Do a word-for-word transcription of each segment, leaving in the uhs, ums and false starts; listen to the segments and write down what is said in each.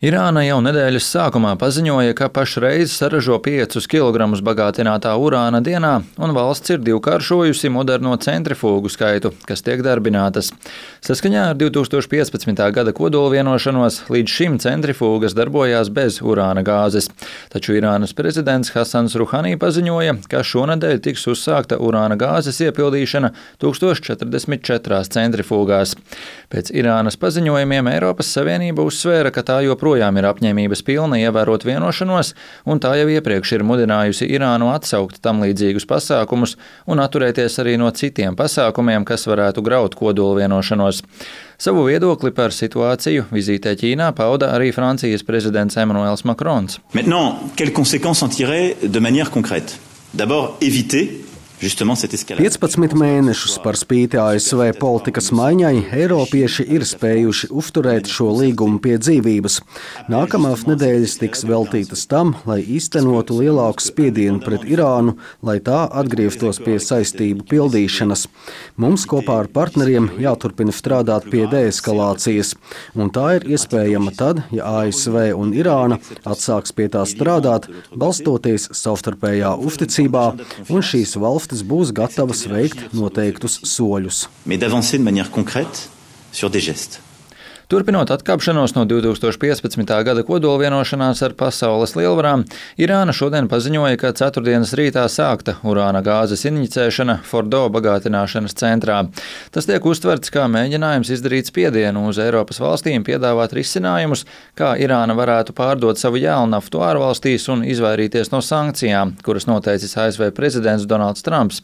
Irāna jau nedēļas sākumā paziņoja, ka pašreiz saražo piecus kilogramus bagātinātā urāna dienā, un valsts ir divkāršojusi moderno centrifūgu skaitu, kas tiek darbinātas. Saskaņā ar divi tūkstoši piecpadsmitā gada kodolvienošanos līdz šim centrifūgas darbojās bez urāna gāzes, taču Irānas prezidents Hasans Ruhani paziņoja, ka šonedēļ tiks uzsākta urāna gāzes iepildīšana tūkstoš četrdesmit četrās centrifūgās. Pēc Irānas paziņojumiem Eiropas Savienība uzsvēra, ka tā joprojām Projām ir apņēmības pilna ievērot vienošanos, un tā jau iepriekš ir mudinājusi Irānu atsaukt tam līdzīgus pasākumus un atturēties arī no citiem pasākumiem, kas varētu graut kodolvienošanos. Savu viedokli par situāciju vizītē Ķīnā pauda arī Francijas prezidents Emmanuels Macrons. Maintenant, quelles conséquences en tirer de manière concrète? D'abord, éviter piecpadsmit mēnešus par spīti A S V politikas maiņai eiropieši ir spējuši uzturēt šo līgumu pie dzīvības. Nākamās nedēļas tiks veltītas tam, lai īstenotu lielāku spiedienu pret Irānu, lai tā atgrieztos pie saistību pildīšanas. Mums kopā ar partneriem jāturpina strādāt pie deeskalācijas, un tā ir iespējama tad, ja A S V un Irāna atsāks pie tā strādāt, balstoties savstarpējā uzticībā, un šīs valstis būs gatavas veikt noteiktus soļus. Turpinot atkāpšanos no divi tūkstoši piecpadsmitā gada kodolvienošanās ar pasaules lielvarām, Irāna šodien paziņoja, ka ceturtdienas rītā sākta urāna gāzes injicēšana Fordo bagātināšanas centrā. Tas tiek uztverts kā mēģinājums izdarīt spiedienu uz Eiropas valstīm piedāvāt risinājumus, kā Irāna varētu pārdot savu jēlnaftu ārvalstīs un izvairīties no sankcijām, kuras noteicis A S V prezidents Donalds Trumps.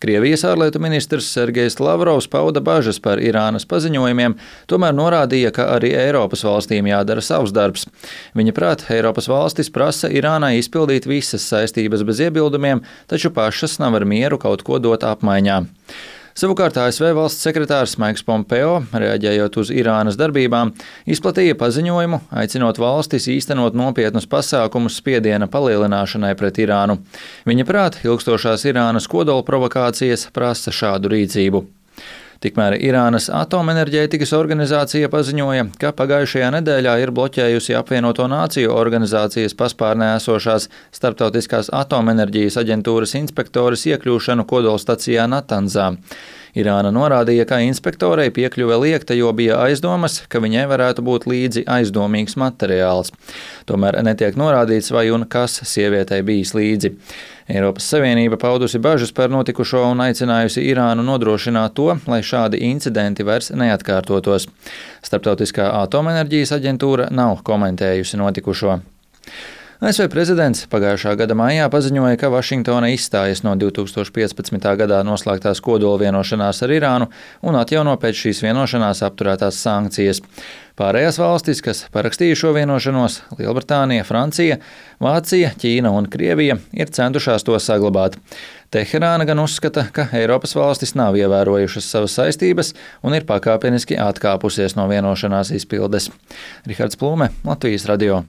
Krievijas ārlietu ministrs Sergejs Lavrovs pauda bažas par Irānas paziņojumiem, tomēr norādīja, ka arī Eiropas valstīm jādara savs darbs. Viņa prāt, Eiropas valstis prasa Irānai izpildīt visas saistības bez iebildumiem, taču pašas nav ar mieru kaut ko dot apmaiņā. Savukārt A S V valsts sekretārs Maiks Pompeo, reaģējot uz Irānas darbībām, izplatīja paziņojumu, aicinot valstis īstenot nopietnus pasākumus spiediena palielināšanai pret Irānu. Viņa prāt, ilgstošās Irānas kodola provokācijas prasa šādu rīcību. Tikmēr Irānas atomenerģētikas organizācija paziņoja, ka pagājušajā nedēļā ir bloķējusi apvienoto nāciju organizācijas paspārnē esošās Starptautiskās atomenerģijas aģentūras inspektoras iekļūšanu kodolstacijā Natanzā. Irāna norādīja, ka inspektorei piekļuve liekta, jo bija aizdomas, ka viņai varētu būt līdzi aizdomīgs materiāls. Tomēr netiek norādīts, vai un kas sievietei bijis līdzi. Eiropas Savienība paudusi bažas par notikušo un aicinājusi Irānu nodrošināt to, lai šādi incidenti vairs neatkārtotos. Starptautiskā atomenerģijas aģentūra nav komentējusi notikušo. A S V prezidents pagājušā gada maijā paziņoja, ka Vašingtona izstājas no divi tūkstoši piecpadsmitā gadā noslēgtās kodolvienošanās ar Irānu un atjauno pēc šīs vienošanās apturētās sankcijas. Pārējās valstis, kas parakstīja šo vienošanos – Lielbritānija, Francija, Vācija, Ķīna un Krievija – ir centušās to saglabāt. Teherāna gan uzskata, ka Eiropas valstis nav ievērojušas savas saistības un ir pakāpeniski atkāpusies no vienošanās izpildes. Rihards Plūme, Latvijas radio.